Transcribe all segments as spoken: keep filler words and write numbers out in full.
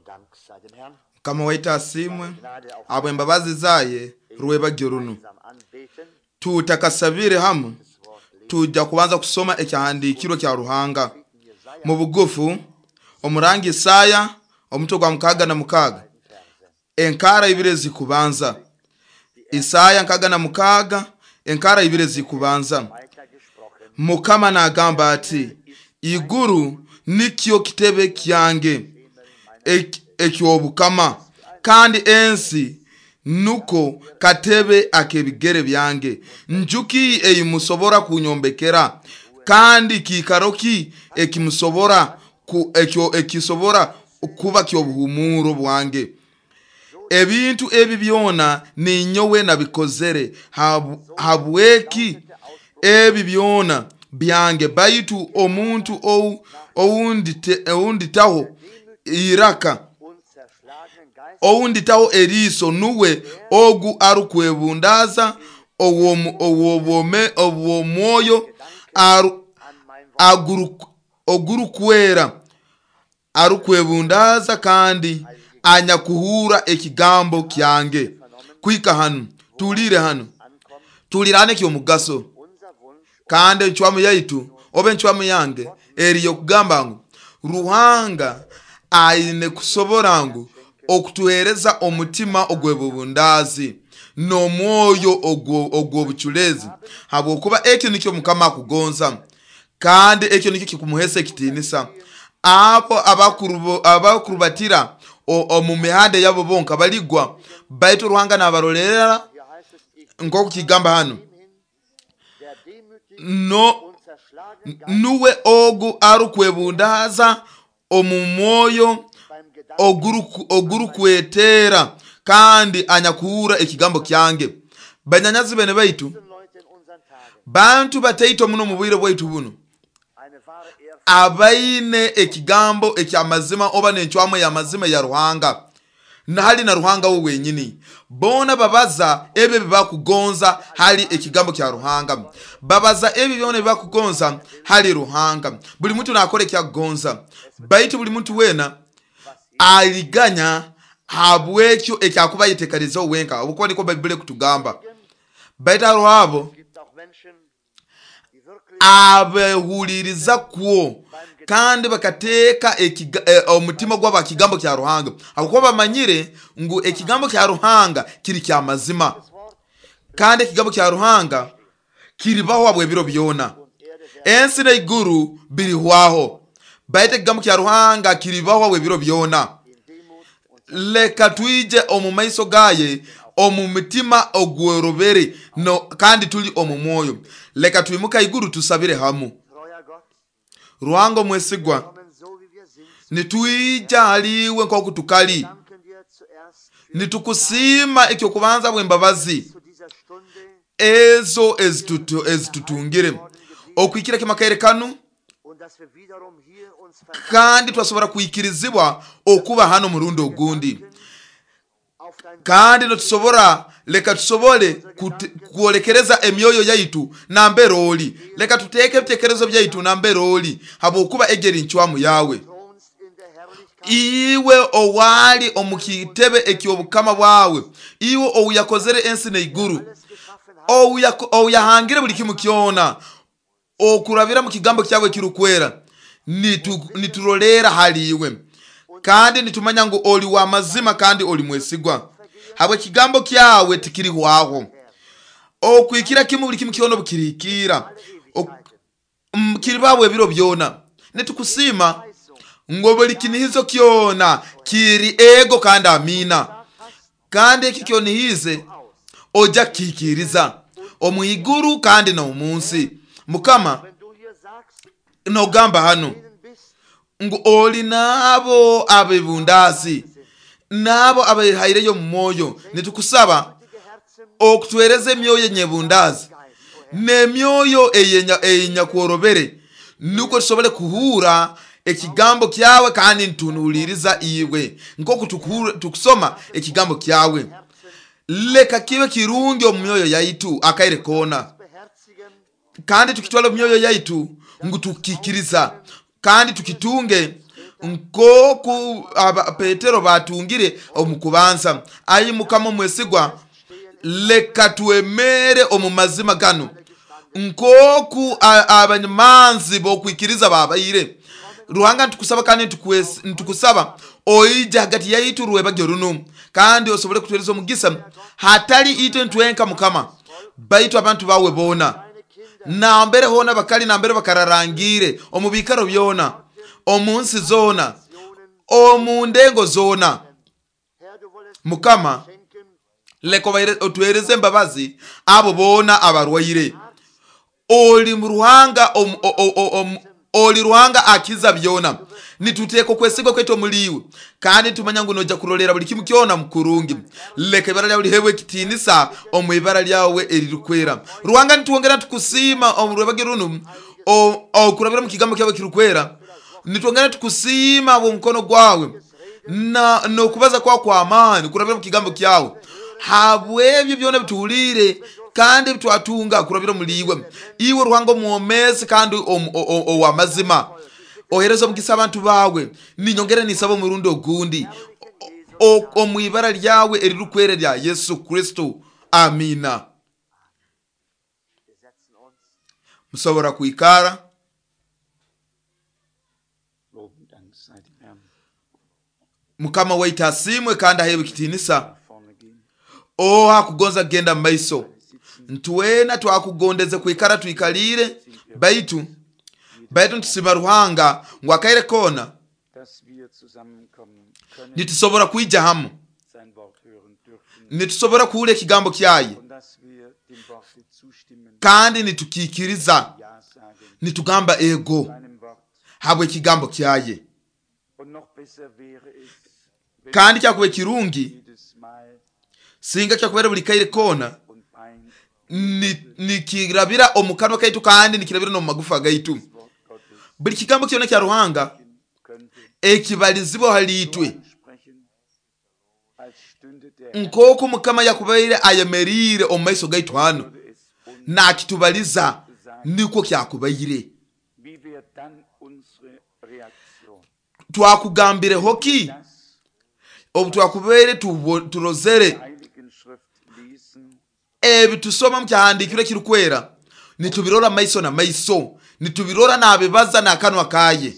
Dank sei dem Herrn. Mukama waitu asiimwe Gnade auf habw'embabazi zaye rwebagyo runo. gemeinsam anbeten. Tutakasabire hamu, Das Wort lesen. tujja kubanza kusoma ekyahandiikirwe kya Ruhanga Jesaja mu bugufu omurangi Isaya omutwe gwa mukaaga na mukaaga Verse. enkara ibiri ezikubanza. Isaya nkaaga na mukaaga enkara ibiri ezikubanza. Weiter gesprochen. Mukama nagamba ati, iguru nikyo kitebe kyange ek- eky'obukama, kandi ensi nuko katebe ak'ebigere byange. Njuki eyimusobora kunyombekera, kandi kiikaro ki ekimusobora ku, ekyo ekisobora kuba ky'obuhumuro bwange? Ebintu ebi byona ninyowe nabikozere, Habu- habweki ebi byona byange, baitu omuntu ou- oundite- ounditaho iraka Und zerschlagenen Geist ounditaho eriiso nuwe ogu arukwebundaza ow'omu- ow'obwome- ow'omwoyo aru- an mein Wort. aguru- ogurukwera arukwebundaza kandi anyakuhura ekigambo kyange. Kuhika hanu tulire hanu Ankommt tulirane ekyomugaso, unser Wunsch kandi encwamu yaitu oba encwamu yange eri yokugamba ngu Ruhanga aine kusobora ngu okutuhereza omutima ogw'ebubundazi n'omwoyo ogwo- ogw'obuculezi, habwokuba ekyo nikyo Mukama akugonza, kandi ekyo nikyo kikumuhesa ekitiinisa. Abo abakurubo- abakurubatira o- omu mihanda yabo bonka baligwa, baitu Ruhanga nabarolera Hier heißt es, ich nk'oku kigamba hanu dem hin, der demütig no und zerschlagenen Geist nuwe ogu arukwebundaza omu mwoyo beim Gedanken oguruku- ogurukwetera kandi anyakuhura ekigambo kyange. Banyanyazi bene baitu, diesen Leute in unseren Tagen bantu bataito muno mu bwire bwaitu buno eine wahre Ehrfurcht abaine ekigambo ekyamazima oba n'encwamu ey'amazima ya Ruhanga nahali na Ruhanga we wenyini. Boona babaza ebyo ebibakugonza hali ekigambo kya Ruhanga, babaza ebyo byona ebibakugonza hali Ruhanga. Buli muntu nakora ekyakugonza, baitu buli muntu weena aliganya habwekyo ekyakuba yetekanizeho wenka, habwokuba niko Baibuli ekutugamba. Baitu hariho abo gibt auch Menschen, die wirklich abehuliriza kwo kandi bakateeka ekiga- eh, omutima gwabo aha kigambo kya Ruhanga, habwokuba bamanyire ngu ekigambo kya Ruhanga kiri kya mazima, das Wort kandi ekigambo kya Ruhanga kiribaho habw'ebiro byona. und Erde werden Ensi n'eiguru birihwaho, baitu ekigambo kya Ruhanga kiribaho habw'ebiro byona. in Demut und Leka twije omu maiso gaye omu mutima ogworobere no, kandi tuli omu mwoyo. Leka twimuka iguru tusabire hamu. treuer Gott Ruhanga omwesigwa, kommen so wie wir sind. nitwija haliwe nk'oku tukali, Danken dir zuerst für nitukusiima ekyokubanza bw'embabazi zu dieser Stunde ezo ezitutu- ezitutungire okwikira kimakaire kanu, und dass wir wiederum hier uns kandi twasobora kwikirizibwa okuba hano murundi ogundi, auf dein kandi nitusobora leka tusobole kute- kwolekereza emyoyo yaitu nambere oli. Leka tuteeke ebitekerezo byaitu nambere oli, habwokuba egeri ncwamu yawe. thronst in der Herrlichkeit Iwe owali omu kitebe eky'obukama bwawe, iwe ouyakozere ensi n'eiguru, alles geschaffen hat, ouyako- ouyahangire buli kimu kyona okurabira mu kigambo kyawe ekirukwera, nitu- niturolera hali iwe, kandi nitumanya ngu oli wa mazima kandi oli mwesigwa, habwe ekigambo kyawe tikirihwaho. Okwikira kimu buli kimu kyona obukirihikira Ok- mm, kiribaho ebiro byona. Nitukusiima ngo buli kinihizo kyona kiri ego kandi amina, kandi eki kyonihize ojja kukikiriza omu iguru kandi n'omu nsi. Mukama, wenn du hier sagst, nogamba hano denen bist, ngu oli n'abo abebundazi n'abo abehaireyo mu mwoyo, nitukusaba gütige Herzen, okutuhereza emyoyo enyebundazi Geist, o Herr, n'emyoyo eyenya- eyenyakworobere, nukwo tusobole kuhura ekigambo kyawe kandi nitunuhuliriza iwe nk'oku tukuhura- tukusoma ekigambo kyawe. Herzen Leka kibe kirungi omu myoyo yaitu akaire koona, beherzigen, kandi tukitwala omu myoyo yaitu ngu tukikiriza kandi tukitunge Nk'oku aba Petero batungire omu kubanza. Ayi Mukama omwesigwa, leka twemere omu mazima gano nk'oku abanyamanzi b'okwikiriza babaire. Ruhanga ntukusaba kandi ntukusaba oije hagati yaitu rwebagyo runo, kandi osobole kutuhereza omugisa hatali itwe ntwenka Mukama, baitu abantu bawe boona nambere hona bakali, nambere bakararangire omu biikaro byona, omu nsi zona, omu ndengo zona. Mukama leka otuhereze embabazi abo boona abarwaire. Oli Ruhanga oli Ruhanga akiza byona. Nituteeka okwesigwa kwaitu omuliwe, kandi tumanya ngu noja kurolera buli kimu kyona mukurungi. Leka ibara lyawe lihebwe ekitiinisa omu ibara lyawe eririkwera. Ruhanga nitwongera tukusiima omu rwebage runo okurabira mu kigambo kyawe kirikwera. Nitwongera tukusiima omukono gwawe na nokubaza kwa kwa amani kurabira mu kigambo kyawe, habwebyo byona bituhulire kandi bitwatunga kurabira muliwe. Iwe Ruhanga omwomezi kandi owamazima, ohereza omugisa abantu bawe. Ninyongera nisaba omurundi ogundi omu ibara lyawe eririkwera lya Yesu Kristo, amina. Musobora kwikara. Mukama waitu asimwe kandi aheebwe ekitiinisa. Oha kugonza kugenda mu maiso, ntwena twakugondeze kwikara twikalire, baitu baitu ntusima Ruhanga ngu akaire kona nitusobora kwija hamu, nitusobora kuhula ekigambo kyaye kandi nitukikiriza, nitugamba ego habwe ekigambo kyaye. Kandi kyakuba kirungi singa kyakubera buli kaire kona nikirabira omu kanwa kaitu kandi nikirabira n'omu magufa gaitu. Buli kigambo kyona kya Ruhanga ekibalizibwa hali itwe, nk'oku Mukama yakubaire ayemeriire omu maiso gaitu hano nakitubaliza, nikwo kyakubaire. Twakugambireho ki obu twakubaire turozere ebitusoma mu kyahandiikirwe ekirikwera? Nitubirora maiso na maiso, nitubirora nabibaza n'akanwa kaye,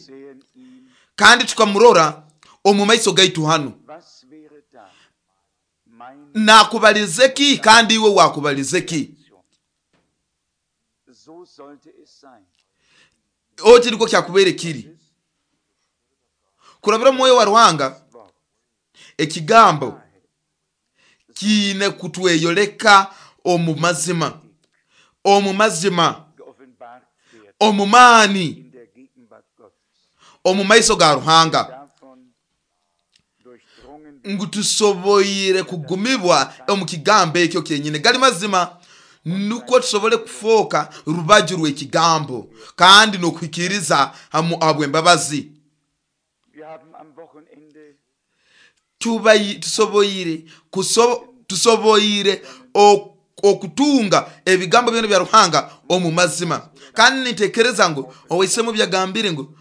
kandi tukamurora omu maiso gaitu hano. Nakubalize ki kandi iwe wakubalize ki? Oti niko kyakubaire kiri kurabira omwoyo wa Ruhanga. Ekigambo kiine kutweyoleka omu mazima, omu mazima, omu maani, omu maiso ga Ruhanga, ngu tusoboire kugumibwa omu kigambo ekyo kyenyine. Gali mazima nukwo tusobole kufoka rubaju rw'ekigambo kandi n'okuhikiriza habw'embabazi. Tusoboire tusoboire okutunga ebigambo byona bya Ruhanga omu mazima. Kandi nitekereza ngu owaisemu byagambire ngu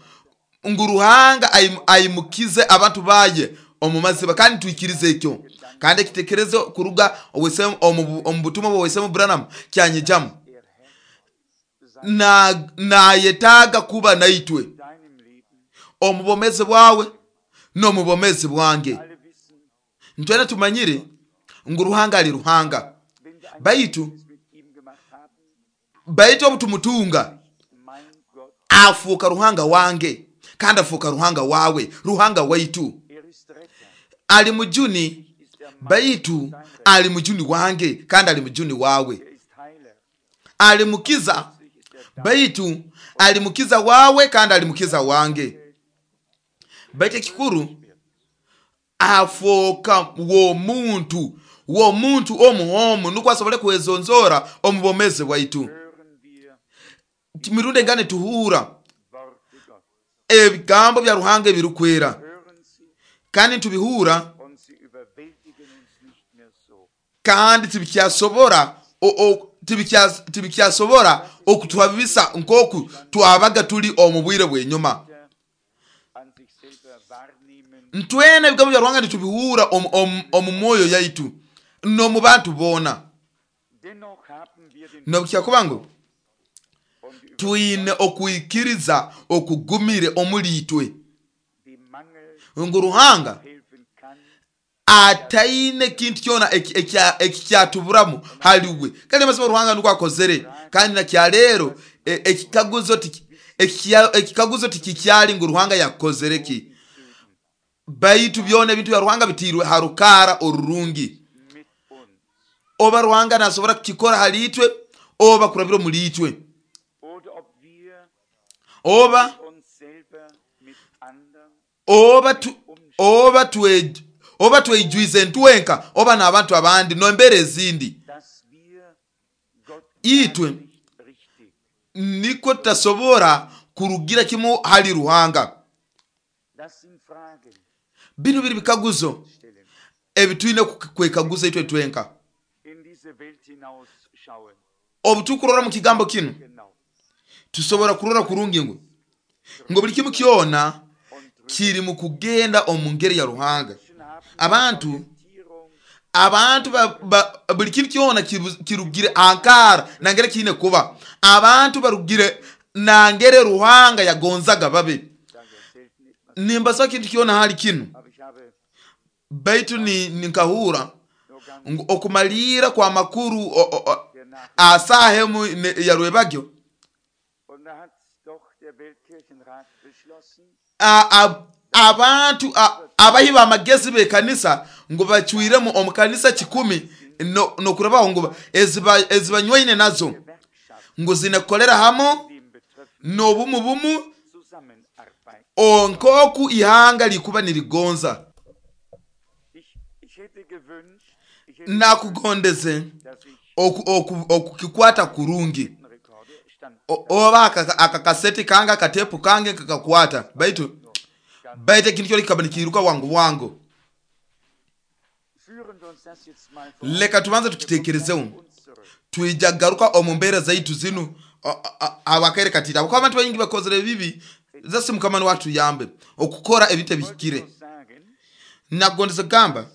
ngu Ruhanga aimukize abantu baye omu mazima, kandi tuikirize ekyo. Kandi ekitekerezo kuruga owaisemu omu butumwa bwa Branham kyanyijamu, na nayetaaga kuba naitwe omu bomezi bwawe n'omu bomezi bwange. Ntwena tumanyire ngu Ruhanga ali Ruhanga, baitu baitu obutumutunga afuuka Ruhanga wange kandi afuuka Ruhanga wawe, Ruhanga waitu. Ali mujuni, baitu ali mujuni wange kandi ali mujuni wawe. Ali mukiza, baitu ali mukiza wawe kandi ali mukiza wange. Baitu ekikuru afoka womuntu womuntu omuhomu nukwo asobole kwezonzora omu bomezi bwaitu. Mirundi engane tuhura ebigambo bya Ruhanga ebirikwera, kandi tubihura kandi tibikyasobora tibikyasobora okutuhabisa nkoku twabaga tuli omu bwire bw'enyuma. Ntwena ebigambo bya Ruhanga nitubihuura omu- omu omu mwoyo yaitu n'omu bantu boona. Dennoch haben wir den Nobukyakuba ngu und die twine okwikiriza okugumire omuli itwe dem Mangel ngu Ruhanga helfen kann, ataine kintu kyona eki- ekya- ekikyatuburamu haliwe. Kandi amazima Ruhanga nukwo akozere. Kandi nakyaleero e- ekikaguzo tiki- ekikya- ekikaguzo tikikyali ngu Ruhanga yakozere ki, baitu byona ebintu bya Ruhanga bitiirwe ha rukaara orurungi. mit uns. Oba Ruhanga nasobora kukikora hali itwe oba kurabira omuli itwe, Oder ob wir oba uns selber mit anderen oba tu, oba twe oba tweijwize ntwenka oba n'abantu abandi n'embeera ezindi. dass wir Gott Itwe gar nicht richtig. nikwo tutasobora kurugira kimu hali Ruhanga. Das sind Fragen Binu biri bikaguzo stellen. ebitwine ku- kwekaguza itwe twenka. In diese Welt hinausschauen. Obu tukurora mu kigambo kinu Genau. tusobora kurora kurungi ngu ngo buli kimu kyona Und drüber kiri mu kugenda omu ngeri ya Ruhanga. haben Abantu Orientierung abantu ba, ba, buli kintu kyona kibu- kirugire ankara nangere kiine kuba abantu barugire nangere Ruhanga yagonzaga babe. sage ja selten etwas, Nimbasa kintu kyona hali kinu, aber ich habe baitu ni ninkahura nur ganz ngu okumalira kwa makuru o- o- o- der Nachricht. asaha emu ne- ya rwebagyo Und da hat doch der Weltkirchenrat beschlossen, a- a- abantu a- abahi b'amagezi b'ekanisa ngu bacwiremu omu kanisa kikumi no- nokurabaho ngu eziba- ezibanywaine nazo Gewerkschaft ngu zinekolera hamu dem betreffenden n'obumu bumu Zusammenarbeit. onkoku ihanga likuba nirigonza. Ich, ich hätte gewünscht, ich hätte Nakugondeze dass ich oku- oku- okukikwata kurungi den Rekorde stand O- oba aka- akakaseti kange akatepu kange kakakwata, baitu baitu ekintu kyona kikaba nikiiruka wangu wangu. Führen wir uns das jetzt mal vor Leka tubanze Augen. Wir tukitekerezeho. kommen uns zurück. Twija garuka omu mbeera zaitu zinu abakaire katita kuba abantu baingi bakozere ebibi zasi Mukama niwe atuyambe okukora ebintu Ich wollte ebihikire. nur sagen, Nakugondeze kugamba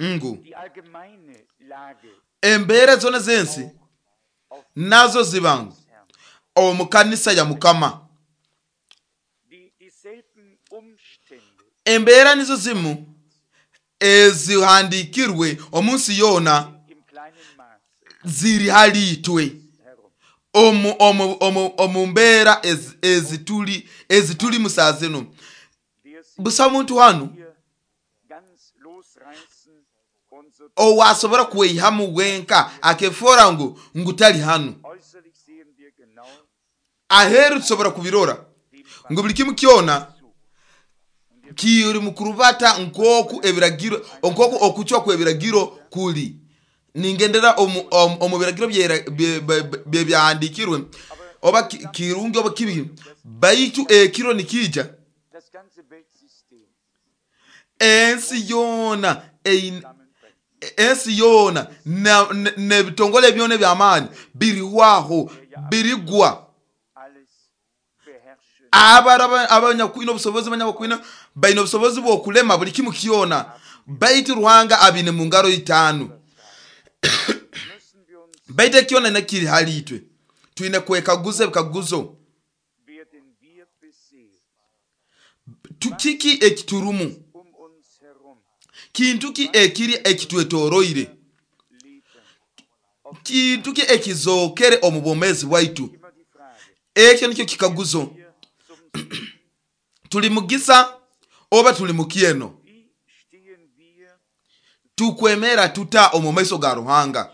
ngu die allgemeine Lage embeera zona z'ensi auf nazo ziba ngu des Herrn. omu kanisa ya Mukama Die, dieselben Umstände embeera nizo zimu ezihandikirwe omu nsi yoona im kleinen Maße ziri hali itwe herum. omu, omu, omu, omu mbeera ez- ezituli ezituli musaa zinu. Der sich Busa muntu hanu hier ganz losreißen und so owasobora kweihamu wenka akefora ngu ngu tali hanu. äußerlich sehen wir genau Aheru tusobora kubirora dem ngu buli kimu kyona zu. kiri mu kurubata nkoku ebiragiro nkoku okucwa kw'ebiragiro kuli. Ningendera omu, omu, omu biragiro byera- bye- bye- bye- byahandikirwe oba ki- kirungi oba kibi, baitu ekiro nikija Das ganze Weltsystem ensi yoona ein- zusammenbrechen. ensi yoona na- ne- n'ebitongole byona eby'amaani birihwaho birigwa. Alles beherrschen. Abara abanyakwine obusobozi abanyakwine baine obusobozi bw'okulema buli kimu kyona, baitu Ruhanga abine mu ngaro itaano. Müssen wir uns, Baitu ekyona nakiri hali itwe twine kwekaguza ebikaguzo, werden wir besehen, Tu- kiki ekiturumu, um uns herum kintu ki ekiri ekitwetoroire, leben. kintu ki ekizookere omu bwomeezi bwaitu. Immer die Frage, Ekyo nikyo kikaguzo. wir zum Segen. Tuli mugisa oba tuli mukyeno? Wie stehen wir Tukwemera tuta omu maiso ga Ruhanga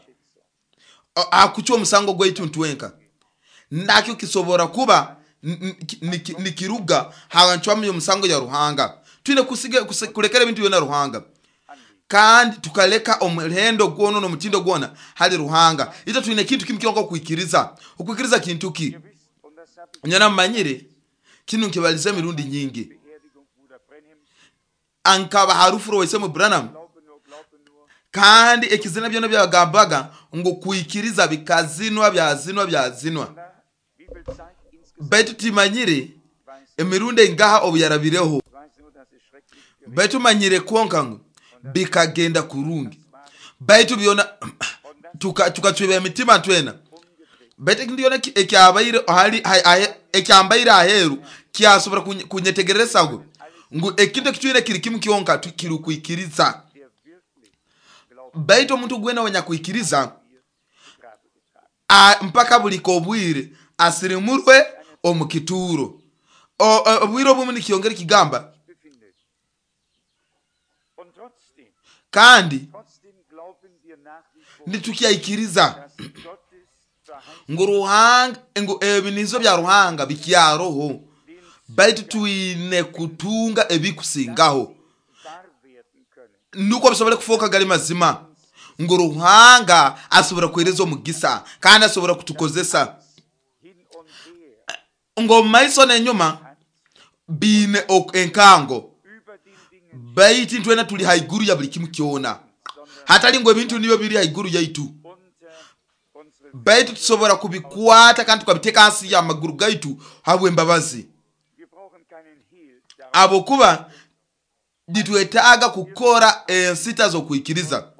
A- akucwa omusango gwaitu ntwenka? Nakyo kisobora kuba n- n- ki- niki- nikiruga hancwamu y'omusango ya Ruhanga. Twine kusige kuse- kulekera ebintu byona Ruhanga, kandi tukaleka omuhendo gwona n'omutindo gwona hali Ruhanga. Ito twine kintu kimu kyonka, okwikiriza. Okwikiriza kintu ki? Ihr wisst, und das habe ich Nyana mmanyire kinu nkibaliza emirundi nyingi. Beerdigung Bruder Branhams, Ankaba harufu waisemu Branham, glaube nur, glaube nur, kandi ekizina byona byagambaga ngu kwikiriza bikazinwa byazinwa byazinwa, na, wie viel Zeit insgesamt baitu timanyire weiß emirundi engaha obu yarabireho. Ich weiß nur, dass es schrecklich Baitu manyire kwonka ngu bikagenda kurungi, baitu byona tukacweba emitima twena. Baitu ekintu kyona ekyabaire hali ekyambaire aheeru kyasobora kunyetegereza ngu ngu ekintu ekitwine kiri kimu kyonka kiri kwikiriza. Baitu omuntu gwena wanyakwikiriza mpaka buli kobwire asirimurwe omu kituuro. Obwire obumu nikyongera kigamba kandi nitukyaikiriza ngu Ruhanga ngu ebinizo bya Ruhanga bikyaroho, baitu twine kutunga ebikusingaho nuko bisobole kufoka gali mazima ngu Ruhanga asobora kuhereza omugisa kandi asobora kutukozesa ngo maiso nenyuma bine enkango, baitu twena tuli haiguru ya buli kimu kyona, hatali ngo ebintu nibyo biri haiguru yaitu, baitu tusobora kubikwata kandi tukabiteka hansi ya maguru gaitu habw'embabazi. Abokuba nitwetaaga kukora ensita z'okwikiriza.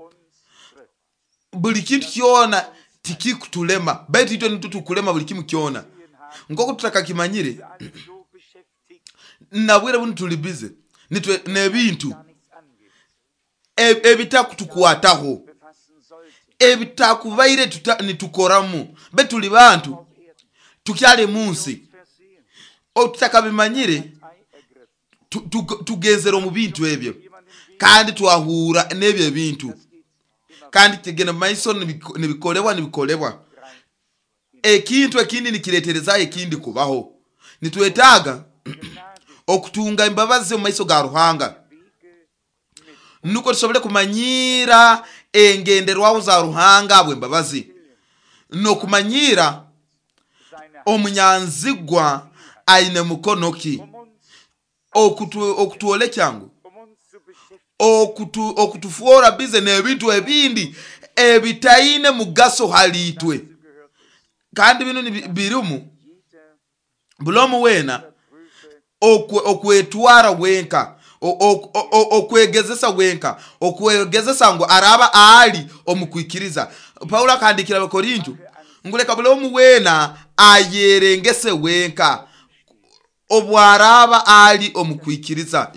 Buli kintu kyona tikikutulema, baitu itwe nitutukulema buli kimu kyona. Nk'oku tutakakimanyire nabwire bunu tuli bize nitwe n'ebintu ebitakutukwataho, ebitakubaire nitukoramu, baitu tuli bantu tukyali munsi otutakabimanyire tugenzera omu bintu ebyo kandi twahura n'ebyo ebintu kandi kigenda maiso nibikolebwa nibikolebwa. Ekintu ekindi nikiretereza ekindi kubaho. Nitwetaaga okutunga embabazi omu maiso ga Ruhanga nuko tusobole kumanyira engenderwaho za Ruhanga habw'embabazi, n'okumanyira omunyanzigwa aine mukono ki, okutwolekya ngu okutufuora bize n'ebintu ebindi ebitaine mugaso hali itwe. Kandi bino birimu bulomu wena okwetwara wenka, okwegezesa wenka, okwegezesa ngu araba ali omukwikiriza. Paulo akandikira Abakorinto ngu leka bulomu wena ayerengese wenka obwaraba ali omukwikiriza.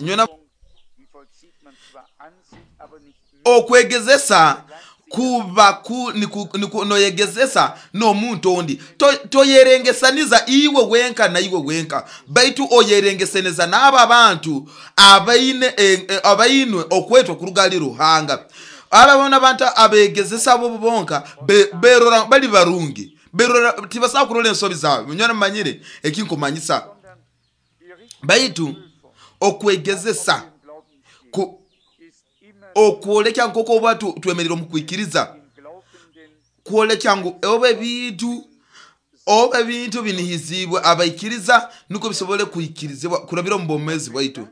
Okwegezesa kuba ku niku noyegezesa n'omuntu ondi, toyerengesaniza iwe wenka na iwe wenka, baitu oyerengesaniza n'aba abantu abaine abainwe okwetwa kuruga ali Ruhanga. Aba bona abantu abegezesa bo bonka berora bali barungi, berora tibasaba kurola ensobi zaabwe. Nyona manyire ekinkumanyisa, baitu okwegezesa ku okwolekya nk'oku oba twemerera omu kwikiriza, kwolekya ngu oba ebintu oba ebintu binihizibwe abaikiriza nuko bisobole kwikirizibwa kurabira omu bwomeezi bwaitu.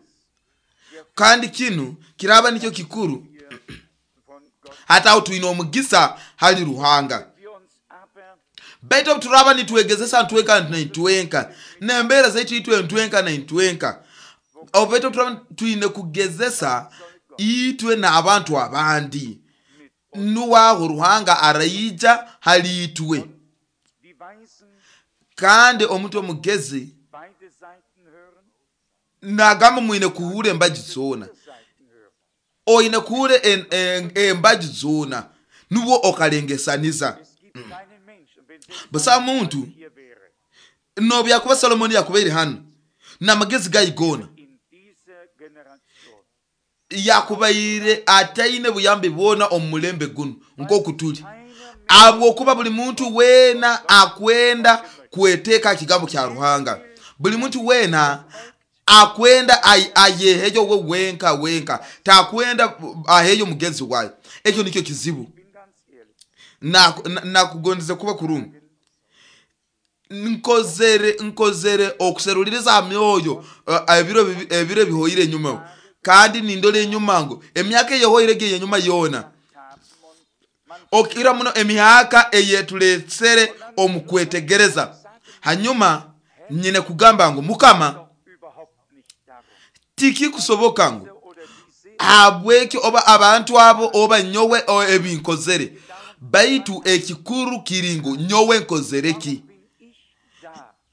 Kandi kinu kiraba nikyo kikuru hata aho twine omugisa hali Ruhanga. Baitu obu turaba nitwegezesa ntwenka naitwenka n'embeera zaitu itwe ntwenka naitwenka, baitu turaba twine kugezesa itwe n'abantu abandi, nuwaho Ruhanga araija hali itwe. Kandi omuntu omugezi nagamba mwine kuhura embaji zoona, oine kuhura embaji zoona nubwo okalengesaniza. Busa muntu nobyakuba Solomoni yakubaire hano n'amagezi gaigona yakubaire ataine buyambi bwona omu mulembe guno nk'oku tuli, habwokuba buli muntu weena akwenda kweteeka kigambo kya Ruhanga. Buli muntu weena akwenda ayeheyo we wenka wenka, takwenda aheyo mugenzi wayo. Ekyo nikyo kizibu. Nakugondeze kuba kurungi nkozere nkozere okuseruliriza myoyo ebiro ebiro ebihoire enyuma, kandi nindole enyuma ngo emyaka eyehoire ge enyuma yona okira muno emyaka eyetuletsere omu kwetegereza. Hanyuma nyine kugamba ngu Mukama tikikusoboka ngu Habweki oba abantu abo oba nyowe ebinkozere, baitu ekikuru kiri ngu nyowe nkozereki.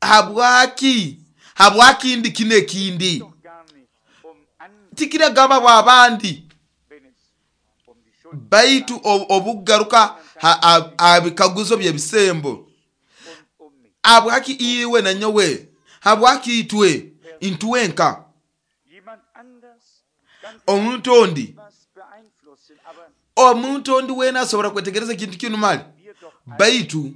Habwaki habwaki ndi kino ekindi tikiragamba bwabandi, baitu obugaruka abikaguzo byebisembo. Habwaki iwe na nyowe, habwaki itwe intwenka? Omuntu ondi omuntu ondi wena asobora kwetegereza ekintu kinu mali, baitu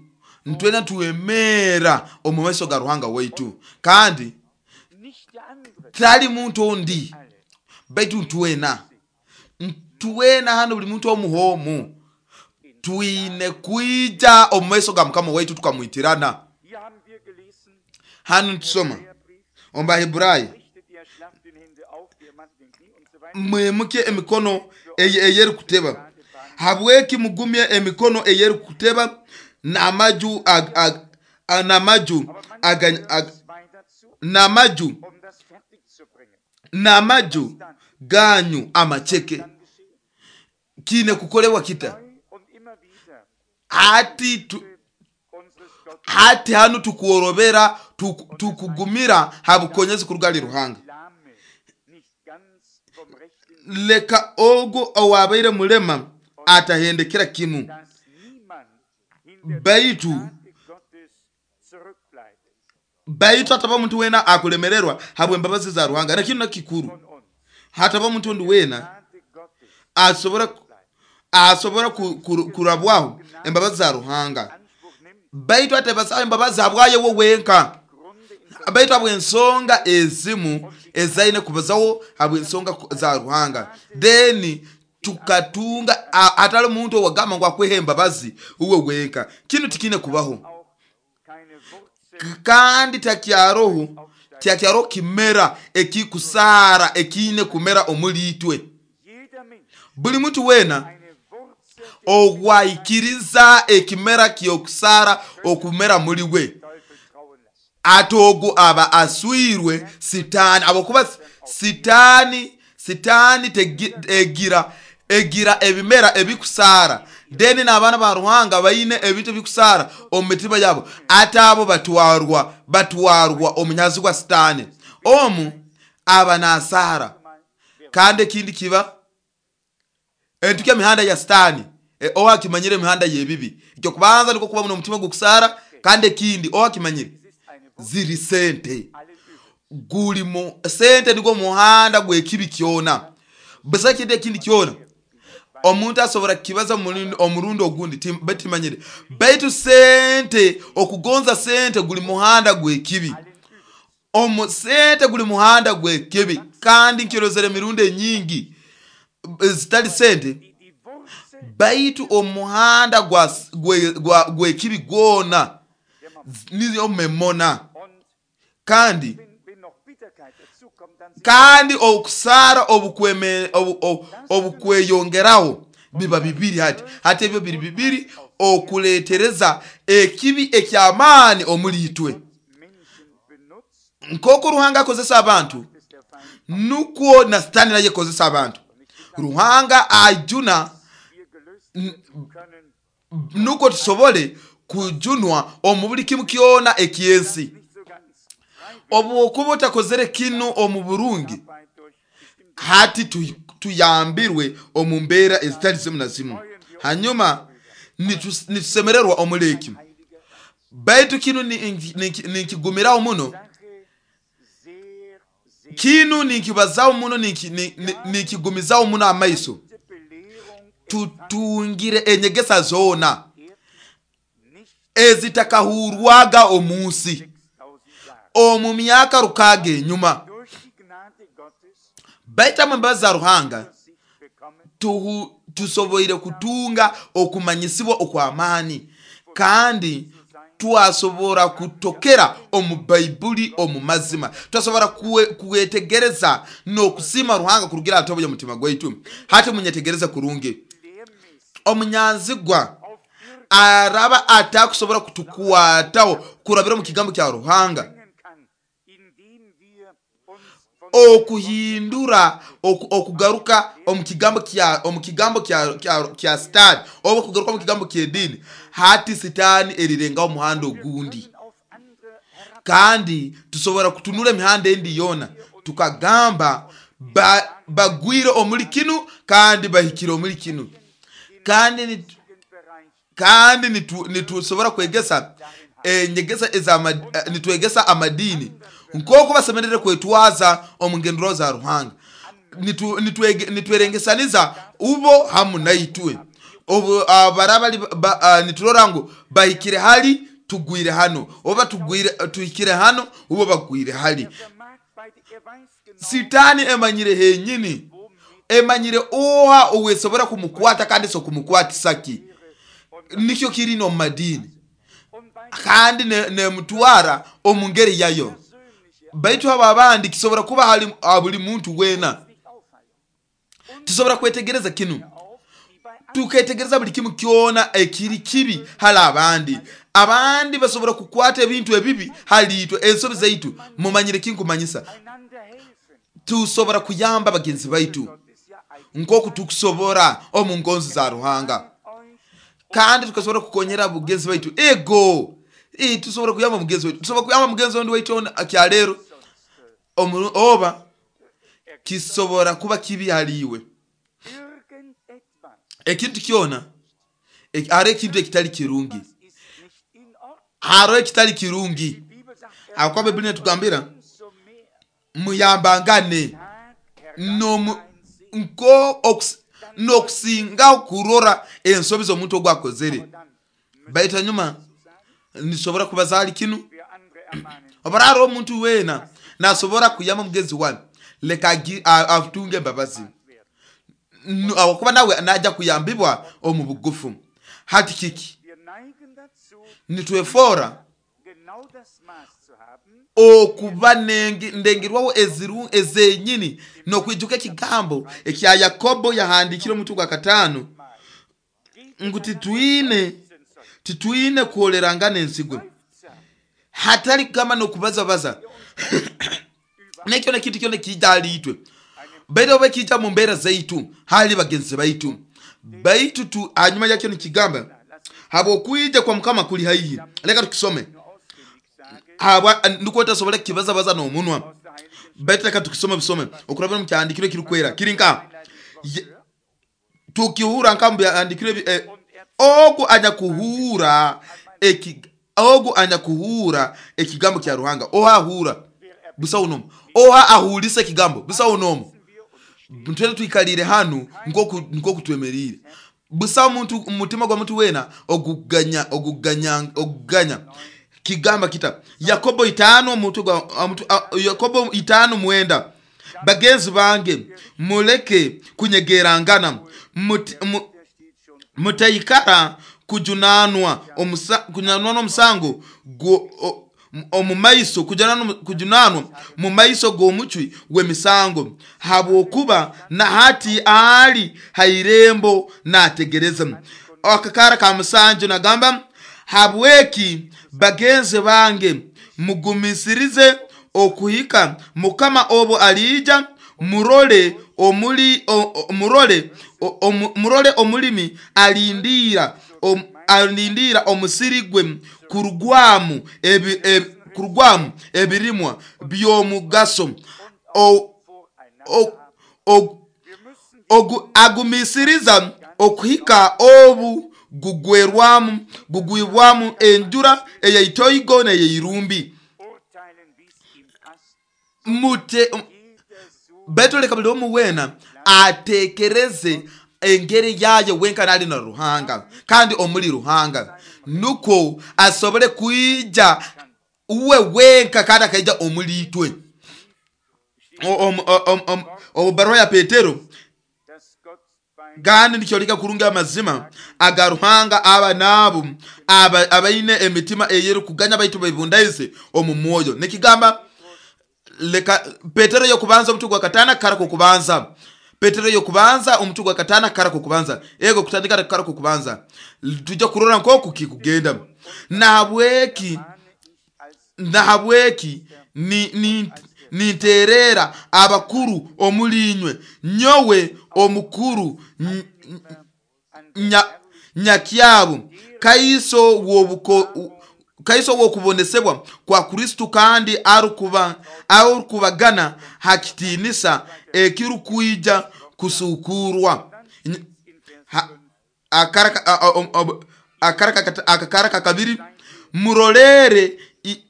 ntwena tuwemera omu maiso ga Ruhanga waitu, kandi tali muntu ondi, baitu ntwena ntwena hano buli muntu omuhomu twine kwija omu maiso ga Mukama waitu tukamwitirana. Hano tusoma omu Baheburayo, mwimuke emikono eyerikuteba, habweki mugumye emikono eyerikuteba n'amaju n'amaju n'amaju n'amaju ganyu amacheke. Kine kukolewa kita hati tu, hati hanu tukuorobera tukugumira habukonyezi kurugali Ruhanga. Leka ogo owabaire mulema atahendekera kimu, baitu baitu hataba muntu wena akulemererwa habwe embabazi za Ruhanga. Na kinu nakikuru, hataba muntu ondi wena asobora asobora kurabwaho embabazi za Ruhanga, baitu atabasa embabazi habwaye we wenka, baitu habw'ensonga ezimu ezaine kubazaho habw'ensonga za Ruhanga. Then tukatunga atali muntu owagamba ngu akwehe embabazi uwe wenka. Kinu tikine kubaho, kandi takyaroho takyaroho kimera ekikusara ekine kumera omuli itwe. Buli muntu wena ogwaikiriza ekimera kyokusara okumera muli we, atogo aba aswirwe sitani. Abakuba sitani sitani egira egira ebimera ebikusara, deni n'abaana ba Ruhanga baine ebintu ebikusara omu mitima yabo, ate abo batwarwa batwarwa omunyazi gwa sitani. Omu aba nasara, kandi ekindi kiba entuke emihanda ya sitani. E, owakimanyire emihanda yebibi, ekyo kubanza niko kuba n'omutima gukusara, kandi ekindi owakimanyire ziri sente guli mu sente nigwo muhanda gwekibi kyona. Basa kindi ekindi kyona omuntu asobora kibaza omurundi ogundi batimanyire, baitu sente okugonza sente guli muhanda gwekibi. Omu sente guli muhanda gwekibi, kandi nkirozere emirundi enyingi zitali sente, baitu omuhanda gwa gwekibi gwona niyo memona. Kandi kandi okusara obukweme obukweyongeraho biba bibiri. Hati hati ebyo biri bibiri okuletereza ekibi ekyamaani omuli itwe. Nk'oku Ruhanga akozesa abantu, nukwo na sitani naye akozesa abantu. Ruhanga ajuna nukwo tusobole kujunwa omu buli kimu kyona ekyensi. Obu otakozere kinu omu burungi, hati tuyambirwe omu mbeera ezitali zimu na zimu, hanyuma nitusemererwa omuli eki. Baitu kinu ninkigumiraho muno, kinu ninkibazaho muno, ninkigumizaho muno amaiso, tutungire enyegesa zoona ezitakahurwaga omunsi omu myaka rukaga enyuma. Baitu embabazi za Ruhanga tusoboire kutunga okumanyisibwa okw'amaani, kandi twasobora kutokera omu Baibuli omu mazima, twasobora kwetegereza n'okusiima Ruhanga kurugira aha y'omutima gwaitu. Hati munyetegereze kurungi, omunyanzigwa araba atakusobora kutukwataho kurabira omu kigambo kya Ruhanga. Okuhindura okugaruka omu kigambo kya omu kigambo kya kya Sitaani, oba okugaruka omu kigambo ky'ediini, hati Sitaani erirengaho omuhanda ogundi. Kandi tusobora kutunura emihanda endi yoona tukagamba bagwire omuli kinu kandi bahikire omuli kinu. Kandi kandi nitusobora kwegesa enyegesa eza nitwegesa amadiini nk'oku basemerere kwetwaza omu ngendero za Ruhanga. Nitwerengesaniza ubo hamu naitwe. Obu barabali niturora ngu bahikire hali, tugwire hano, oba tugwire tuhikire hano, ubo bagwire hali. Sitaani emanyire henyini, emanyire oha owesobora kumukwata kandi so kumukwatisa ki. Nikyo kiri no madini kandi nemutwara omu ngeri yayo. Baitu abo abandi kisobora kuba hali buli muntu wena. Tusobora kwetegereza kinu, tuketegereza buli kimu kyona ekiri kibi hali abandi. Abandi basobora kukwata ebintu ebibi hali itwe, ensobi zaitu. Mumanyire kinkumanyisa, tusobora kuyamba bagenzi baitu nk'oku tukusobora omu ngonzi za Ruhanga, kandi tukasobora kukonyera bugenzi baitu. Ego e, tusobora kuyamba mugenzi waitu, tusobora kuyamba mugenzi wendi waitu akyalero oba kisobora kuba kibi haliwe. Ekintu kyona hariho ekintu ekitali kirungi, hariho ekitali kirungi. Ahakuba Baibuli netugambira muyambangane n'okusingaho kurora ensobi z'omuntu ogu akozere. Baitu hanyuma nisobora kubaza hali kinu, oba hariho omuntu weena nasobora kuyamba mugenzi wawe, leka atunge embabazi, ahakuba nawe najja kuyambibwa omu bugufu. Hati kiki nitwefora okuba ndengirwaho ezenyini n'okwijuka ekigambo ekya Yakobo yahandikire omutu gwa kataano ngu titwine titwine kuholerangana ensigo, hatali kugamba n'okubazabaza. Nekyo nekintu kyona ekija hali itwe, baitu oba ekija mu mbeera zaitu hali bagenzi baitu. Baitu tu hanyuma yakyo nikigamba habwokwija kwa Mukama kuli haihi. Leka tukisome, habwa nukwo tasobora kibazabaza n'omunwa, baitu leka tukisome bisome okurabira mu kyandikiro ekirikwera kiri nka tukihura nka mu byandikiro eh, ogu anyakuhura eki ogu anyakuhura ekigambo kya Ruhanga. Oha ahura busa unomu, oha ahulisa ekigambo busa unomu. Ntwele tuikalire hanu nkoku nkoku twemerire busa omuntu umutima gwa muntu wena oguganya oguganya oguganya kigamba kita Yakobo itano mutu gwa mutu Yakobo itano mwenda, bagenzi bange muleke kunyegerangana, mutaikara kujunanwa omusa kujunanwa n'omusango omu maiso kujunanwa mu maiso g'omucwi w'emisango, habwokuba na hati ali hairembo nategereza. Akakara ka musanju nagamba habweki bagenzi bange mugumisirize okuhika Mukama obo aliija. Murole omuli o, murole o, murole omulimi alindira om, alindira omusiri gwe kurugwamu ebi, ebi, kurugwamu ebirimwa by'omugaso. O, o, o, ogu, agumisiriza okuhika obu gugwerwamu gugwibwamu enjura eyaitoigo n'eyeirumbi. Mute baitu leka buli omu wena atekereze engeri yayo wenka nali na Ruhanga kandi omuli Ruhanga, nukwo asobole kwija uwe wenka kandi akaija omuli itwe. Obubaruha ya Petero kandi nikyoleka kurungi amazima aga Ruhanga aba nabo aba abaine emitima eyeri kuganya baitu baibundaize omu mwoyo. Nikigamba leka Petero yokubanza omutu gwa katana kara kubanza, Petero yokubanza omutu gwa katana kara kubanza, ego kutandika kara kubanza, tujja kurora nkoku kikugenda. Nahabweki nahabweki ni, ni Ninterera abakuru omuli inywe, nyowe omukuru nyakyabo, kaiso w'obuko kaiso w'okubonesebwa kwa Kristo, kandi arukuba arukubagana ha kitiinisa ekirukwija kusukurwa. Akaraka kabiri, murolere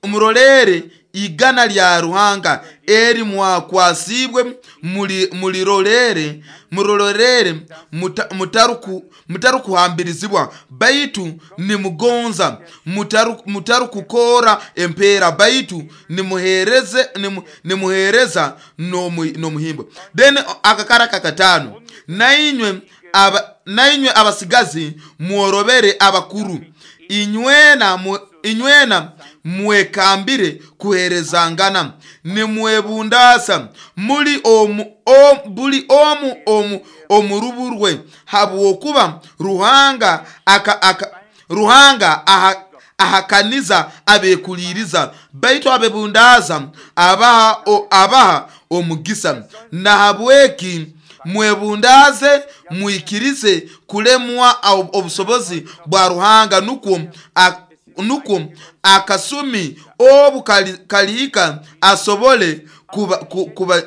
murolere igana lya Ruhanga eri mwakwasibwe, mulirolere murolere mutaruku mutarukuhambirizibwa, baitu nimugonza, mutarukukora empeera, baitu nimuhereze nimuhereza n'omuhimbo. Then akakaraka katano, nainywe aba nainywe abasigazi mworobere abakuru, inywena inywena mwekambire kuherezangana, nimwebundasa muli omu buli omu omu omuruburwe, habwokuba Ruhanga aka, aka Ruhanga aha ahakaniza abekuliriza, baitu abebundaza abaha abaha omugisa. Nahabweki mwebundaze, mwikirize kulemwa obusobozi bwa Ruhanga, nukwo nukwo akasumi obu kalihika asobole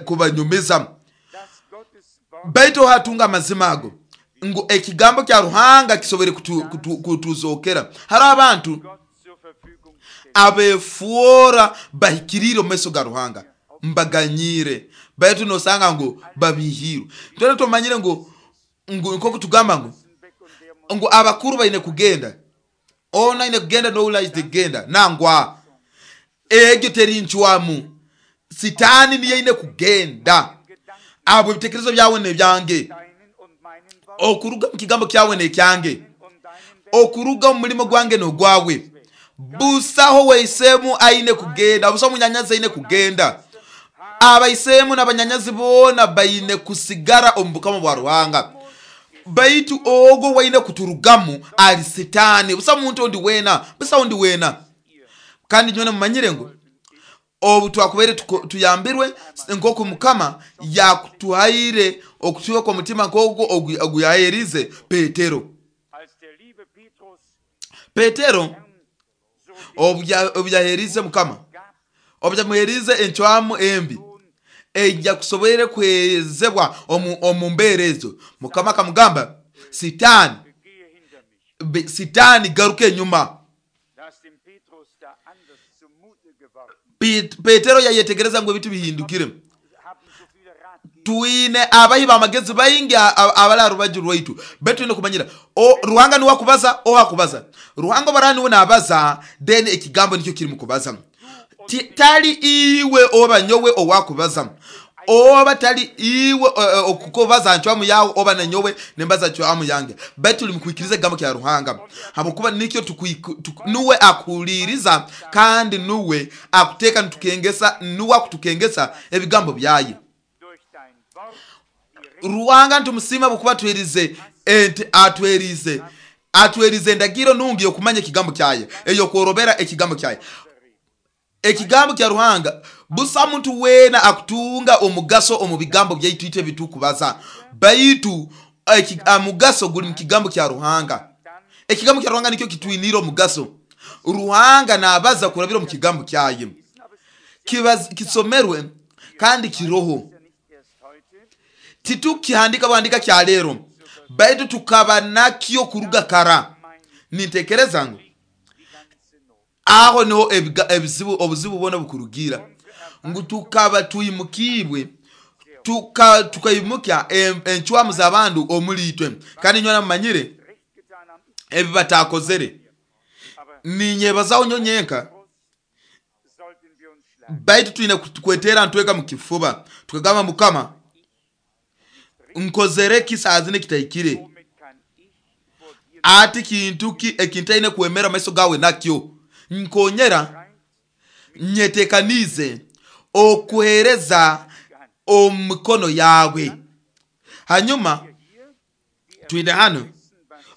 kubanyumiza. Kuba, kuba baitu hatunga amazima ago ngu ekigambo kya Ruhanga kisobole kutuzokera. Kutu, hari abantu abefuora bahikirire omu maiso ga Ruhanga, mbaganyire, baitu nosanga ngu babihirwe. Twena tumanyire ngu ngu nkoku tugamba ngu ngu abakuru baine kugenda, ona ine kugenda n'oula kugenda nangwa egyo teri nchwamu. Sitani niye ine kugenda. Abo ebitekerezo byawe nebyange, okuruga mu kigambo kyawe nekyange, okuruga mu mulimo gwange n'ogwawe. Busaho weisemu aine kugenda, busaho munyanyazi aine kugenda. Abaisemu n'abanyanyazi boona baine kusigara omu bukama bwa Ruhanga. Baitu ogo waine kuturugamu ali sitani, busaho muntu ondi wena, busaho ondi wena. Kandi nywena mumanyire ngu obu twakubaire tuyambirwe nkoku Mukama yakutuhaire okutuha kw'omutima nk'ogwo ogu yaherize Petero. Petero obu yaherize Mukama, obu yamuherize encwamu embi ejja kusobora kuhezebwa omu mbeera ezo, Mukama akamugamba, Sitani, Sitani garuka enyuma. Petero yayetegereza ngu ebintu bihindukire. Twine abahi b'amagezi baingi abali aha rubaju rwaitu, baitu twine kumanyira Ruhanga niwe akubaza oha akubaza. Ruhanga obara niwe nabaza, then ekigambo nikyo kirimu kubaza. Tali iwe oba nyowe owakubaza, oba tali iwe okukubaza ncwamu yawe, oba nanyowe nembaza ncwamu yange, baitu tuli mukwikiriza ekigambo kya Ruhanga, habwokuba nikyo nuwe akuhuliriza kandi nuwe akuteeka nitukengesa, nuwe akutukengesa ebigambo byaye. Ruhanga ntumusima bwokuba atwerize atwerize atwerize endagiro nungi yokumanya ekigambo kyaye, eyokworobera ekigambo kyaye. Ekigambo kya Ruhanga busa muntu wena akutunga omugaso omu bigambo byaitu itwe bitukubaza, baitu omugaso guli mu kigambo kya Ruhanga. Ekigambo kya Ruhanga nikyo kitwinire omugaso. Ruhanga nabaza kurabira omu kigambo kyaye, kisomerwe kandi kiroho. Titukihandika buhandika kya lero, baitu tukaba nakyo kuruga kara. Nintekereza ngu aho niho ebizibu obuzibu bwona bukurugira, ngu tukaba twimukibwe tuka tukaimuka encwamu z'abantu omuli itwe. Kandi nywena mumanyire ebi batakozere. Ninyebazaho nyo nyenka, baitu twine kwetera ntweka mu kifuba tukagamba, Mukama nkozere kisazine kitahikire, ati kintu ki ekintaine kwemera maiso gawe nakyo, nkonyera nyetekanize okuhereza omu mikono yawe. Hanyuma twine hano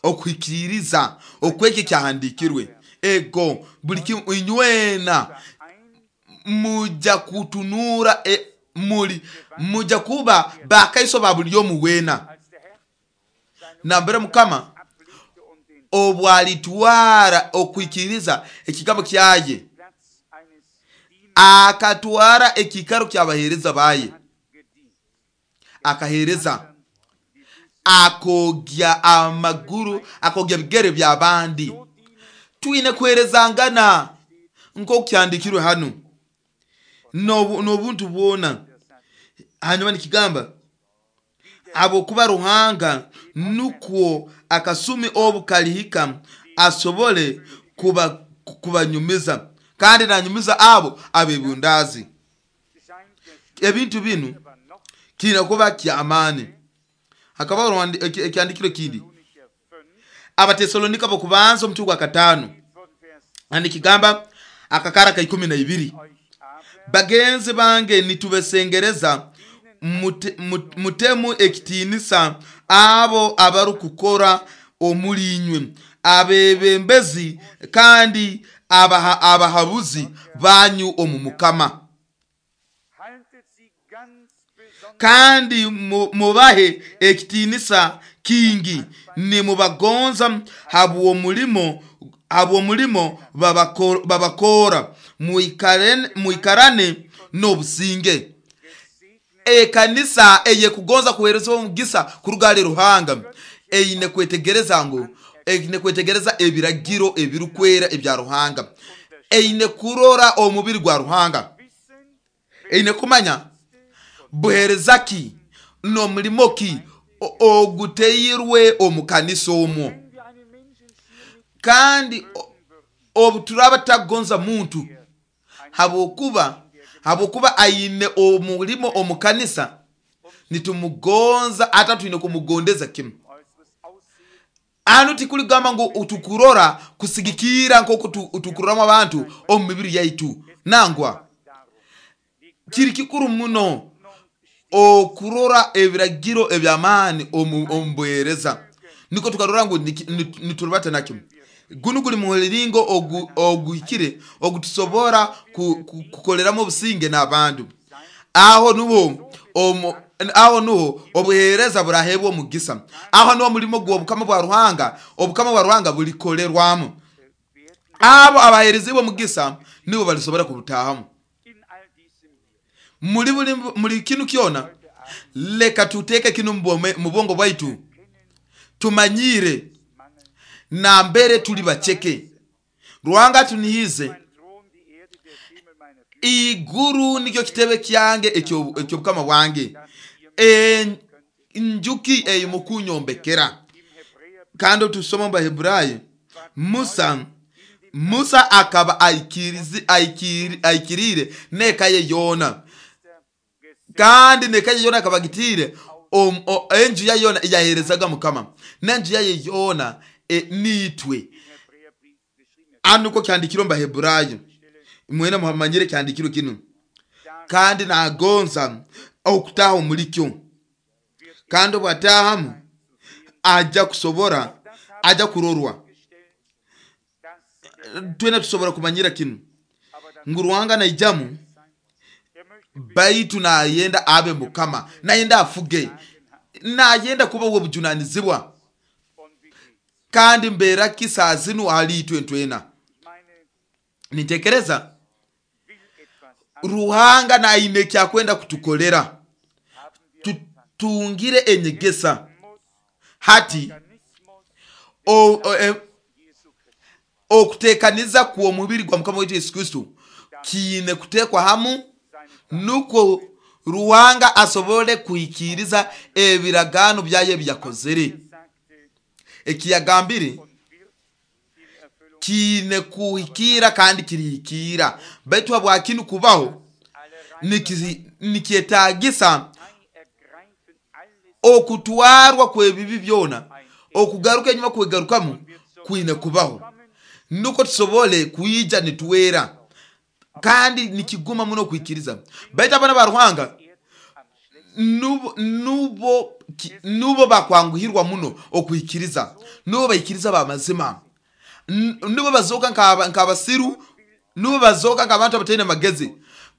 okuhikiriza okweki kyahandikirwe. Ego buli kimu inywena Muja kutunura e, muli muja kuba bakaiso ba buli omu weena. Als der Herr seine Nambere Mukama ablegte und den obwalitwara okwikiriza ekigambo kyaye, Platz eines Dieners akatwara ekikaro ky'abaheereza baye, hat gedient. akaheereza akogya amaguru, akogya bigere by'abandi. So dienen Twine kuherezangana nk'oku kyandikirwe hanu n'obu- n'obuntu bwona. der Satz. Hanyuma nikigamba habwokuba Ruhanga nukwo akasumi obu kalihika asobole kuba kubanyumiza, kandi nanyumiza abo abebundazi. Scheint der Ebintu binu aber noch kiina kuba kyamaani. Hakaba oruhandi- eki- ekyandikiro kindi Thessalonicher fünf Abatesalonika bokubanza omutwe gwa kataano, von Vers nikigamba akakara ka ikumi na ibiri, euch aber bagenzi bange nitubesengereza mute- mut- mutemu ekitiinisa abo abarukukora omuli inywe, abebembezi kandi abaha, abahabuzi banyu omu Mukama, haltet sie ganz besonders kandi mu- mubahe ekitiinisa kingi, nimubagonza habw'omulimo habw'omulimo babako- babakora, muikarane muikarane n'obusinge. gesegnet Ekanisa eyekugonza kuhereza omugisa kuruga hali Ruhanga eine kwetegereza ngu eine kwetegereza ebiragiro ebirukwera ebya Ruhanga, eine kurora omubiri gwa Ruhanga, wissen, eine kumanya buhereza ki n'omulimo ki o- oguteirwe omu kanisa omwo. wenn wir einen Menschen schier nicht Kandi o- obu turaba tutakugonza muntu habwokuba habwokuba aine omulimo omu kanisa, nitumugonza ata twine kumugondeza kimu. äußeres Aussehen Anu tikuligamba ngu tukurora kusigikira nk'oku tu- tukuroramu abantu omu mibiri yaitu, nangwa darum. Die kiri kikuru muno Ordnung okurora ebiragiro eby'amaani omu omu buheereza, niko tukarora ngu niki- nitu- niturubata nakyo. Gunu guli muliringo ogu- oguhikire ogutusobora ku- ku- kukoleramu obusinge n'abantu. Aho nuho omu- aho nuho obuheereza burahebwa omugisa, aho niho omulimo gw'obukama bwa Ruhanga, obukama bwa Ruhanga bulikolerwamu. werden Abo abaheerezibwe omugisa nibo balisobora kubutahamu. in all diesem hier Muli buli muli kinu kyona, leka tuteeke kinu mu bwome- mu bwongo bwaitu, tumanyire Mangel nambere tuli baceke. Ruhanga tunihize mein Thron, die Erde, der Himmel meine Füße, iguru nikyo kitebe kyange ekyo- ekyobukama bwange, E- njuki eyimukunyombekera. Im Hebräer Kandi tusoma mu Baheburayo, Musa Musa akaba aikirizi- aikiri- aikirire n'eka ye yoona, kandi n'eka ye yoona akaba agitiire om- o- enju ya yoona yaherezaga Mukama, n'enju yaye yoona e, niitwe. im Hebräerbrief geschrieben Anu niko kyandikirwe mu Baheburayo, mwena muhamanyire kyandikirwe kinu, kandi nagonza okutaha omulikyo, kandi obwatahamu ajja kusobora, ajja kurorwa. gestellt, dass Twena tusobora kumanyira kinu aber das ngu Ruhanga naijamu, sein er möchte baitu nayenda abe Mukama, nayenda afuge, nayenda kuba wobujunanizibwa. und wie geht's? Kandi mbeera ki saa zinu hali itwe ntwena? Ich meine, Nitekereza will etwas Ruhanga naine ekyakwenda kutukolera, haben wir tutungire enyegesa muss hati Organismus o- o- e- Jesu Christus okutekaniza kw'omubiri gwa Mukama waitu Yesu Kristo kiine kutekwa hamu, seine nukwo Ruhanga asobole kuhikiriza ebiragaano byaye ebyakozere. sagte Ekiyagambire und wird in Erfüllung kiine kuhikira kandi kirihikira, baitu habwakinu kubaho alle niki- nikyetagisa ergreifen alles okutwarwa kw'ebibi byona, okugaruka enyuma kwegarukamu kwine kubaho, nuko tusobole kwija nituwera, kandi nikiguma muno kwikiriza. Baitu abaana ba Ruhanga Erden am schlechtesten nubo nubo ki- nubo bakwanguhirwa muno okwikiriza, nubo baikiriza bamazima, N- nubo bazooka nk'aba- nk'abasiru, nubo bazooka nk'abantu abataine magezi.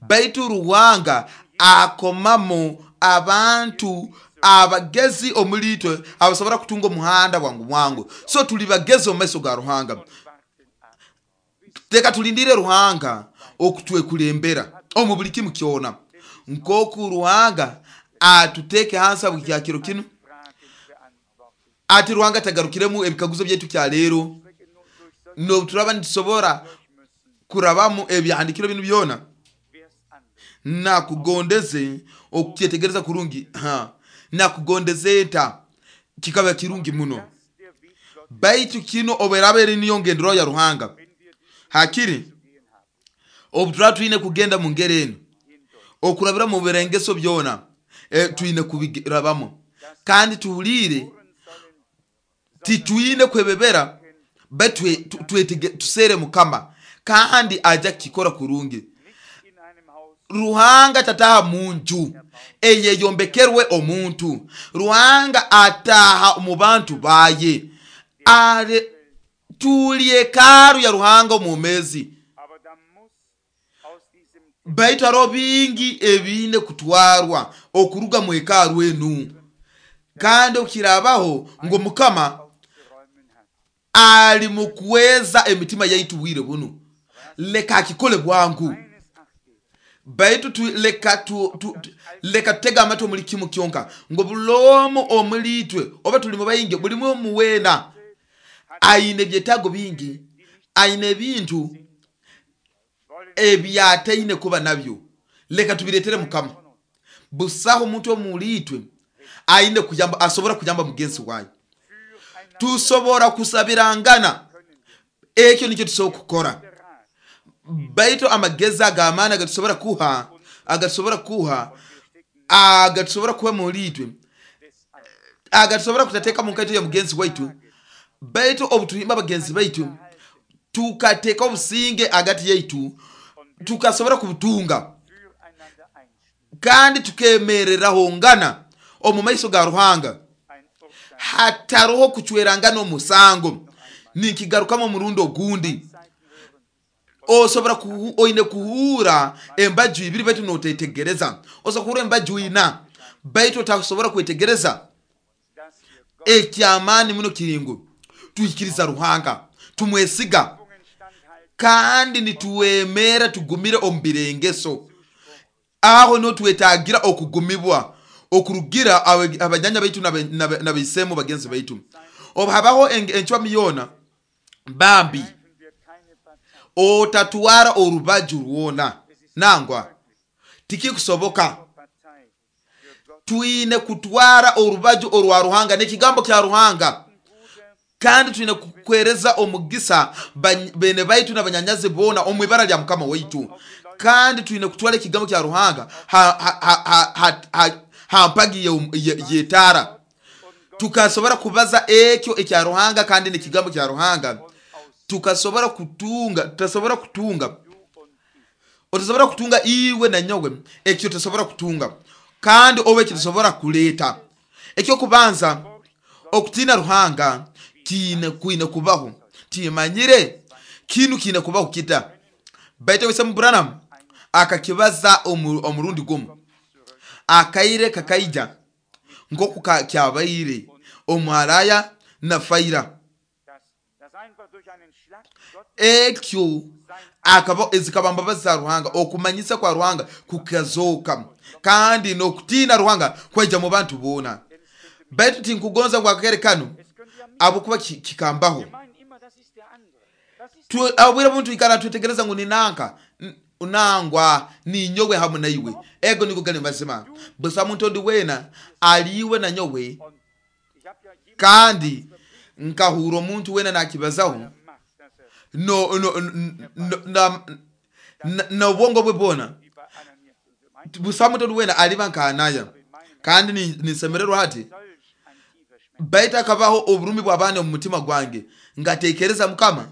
Baitu Ruhanga akomamu abantu abagezi omulitwe abasobora kutunga omuhanda bwangu bwangu. So tuli bagezi omu maiso ga Ruhanga. Teka tulindire Ruhanga okutwekulembera omu buli kimu kyona, nkoku Ruhanga atuteke hansi buli kiro kinu. Ati Ruhanga tagarukiremu ebikaguzo byaitu kya leero, noturaba nitusobora kurabamu ebyahandikiro binu byona. Nakugondeze okukyetegereza kurungi, ha nakugondeze enta kikaba kirungi muno. Baitu kino oberaba eri niyo ngendero ya Ruhanga, hakiri obutura twine kugenda mu ngeri eno okurabira mu birengeso byona, e, twine kubirabamo kandi tuhulire titwine kwebebera, baitu tusere Mukama kandi aja kikora kurungi. Ruhanga tataha munju eyeyombekerwe omuntu. Ruhanga ataha mu bantu baye. Ale tuli hekalu ya Ruhanga omumezi. Baitu hariho bingi ebine kutwarwa okuruga mu hekalu enu, kandi okirabaho ngo Mukama ali mukweza emitima yaitu bwire buno. Leka akikole bwangu. Baitu tu, leka tu, tu, tu, leka tutega amatu omuli kimu kyonka ngo bulomu omulitwe oba tuli mu bayingi buli mu wena aine byetago bingi, aine ebintu ebyataine kuba nabyo. Leka tubiretere Mukama. Busaho omuntu omulitwe aine kuyamba, asobora kuyamba mugenzi wawe. Tusobora kusabirangana, ekyo nikyo tusobora kukora. Baitu amagezi ag'amaani agatusobora kuha, agatusobora kuha, agatusobora kuha mulitwe, agatusobora kutateka mu nkaito ya mugenzi waitu. Baitu obutuhimba bagenzi baitu tukateka obusinge agati yaitu, tukasobora kubutunga kandi tukemereraho ngana omu maiso ga Ruhanga, hataroho kucwerangana omusango. Ninkigarukamo omurundi ogundi, osobora kuhu, oine kuhura embaju ibiri baitu notetegereza. Osobola kuhura embaju ina baitu otasobora kwetegereza. Ekyamaani muno kiringu tuhikiriza Ruhanga, tumwesiga kandi nituwemera tugumire omu birengeso. Aho niho twetagira okugumibwa okurugira abanyanya baitu n'abaisemu bagenzi baitu. Obu habaho encwami yona bambi otatwara orubaju rwona, nangwa tikikusoboka. Twine kutwara orubaju orwa Ruhanga n'ekigambo kya Ruhanga, kandi twine kukwereza omugisa bene baitu n'abanyanyazi bona omu ibara lya Mukama waitu. Kandi twine kutwara ekigambo kya Ruhanga ha ha ha ha, ha, ha mpagi yetara, tukasobora kubaza ekyo ekya Ruhanga kandi n'ekigambo kya Ruhanga. Tukasobora kutunga, tutasobora kutunga, otasobora kutunga iwe na nyowe ekyo tusobora kutunga, kandi obe ekyo tusobora kuleta. Ekyo kubanza okutina Ruhanga kine kuine kubaho. Timanyire kinu kine kubaho kita. Baitu wese Branham akakibaza omurundi gumu, akaire kakaija nkoku kyabaire omwaraya na Faira. Ekyo akaba ezikaba mbabazi za Ruhanga, okumanyisa kwa Ruhanga kukazoka, kandi n'okutina Ruhanga kwaija mu bantu bona. Baitu tinkugonza ngo akakere kano abukuba kikambaho. Abwira muntu ikara twetegereza ngo ninanka unangwa ni nyowe hamu na iwe. Ego niko gani mazima. Busa muntu ndi wena aliwe na nyowe, kandi nkahura omuntu wena nakibazaho no no na na ubwongo bwe bona. Busa muntu wena aliba nkanaya, kandi nisemererwa hati baita akabaho oburumi bw'abaana omu mutima gwange, ngatekereza Mukama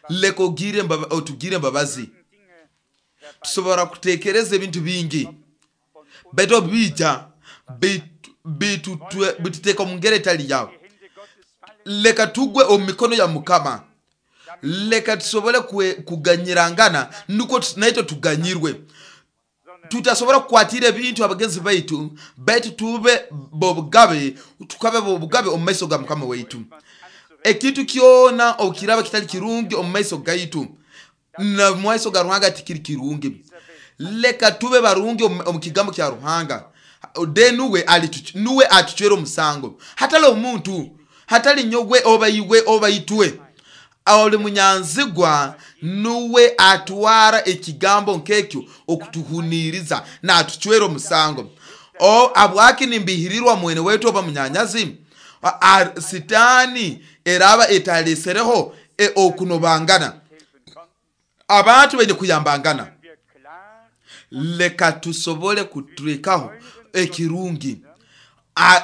leka ogire otugire embabazi. Tusobora kutekereza ebintu bingi, baitu obija bituteka omu ngeri etali yawe. Leka tugwe omu mikono ya Mukama, Leka tusobole kuganyirangana nukwo naitwe tuganyirwe. Tutasobora kukwatira ebintu abagenzi baitu, baitu tube bobugabe, tukabe bobugabe omu maiso ga Mukama waitu. Ekintu kyona okiraba kitali kirungi omu maiso gaitu, na mu maiso ga Ruhanga tikiri kirungi. Leka tube barungi omu kigambo kya Ruhanga. De nuwe nuwe atuchwera omusango, hatali omuntu, hatali nyogwe oba iwe oba itwe. Oli munyanzigwa nuwe atwara ekigambo nkekyo okutuhuniriza na atuchwera omusango. O abwaki nimbihirirwa mwene wetu oba munyanyazi? Sitani eraba etalesereho e okunobangana, abantu baine kuyambangana. Leka tusobole kuturekaho ekirungi.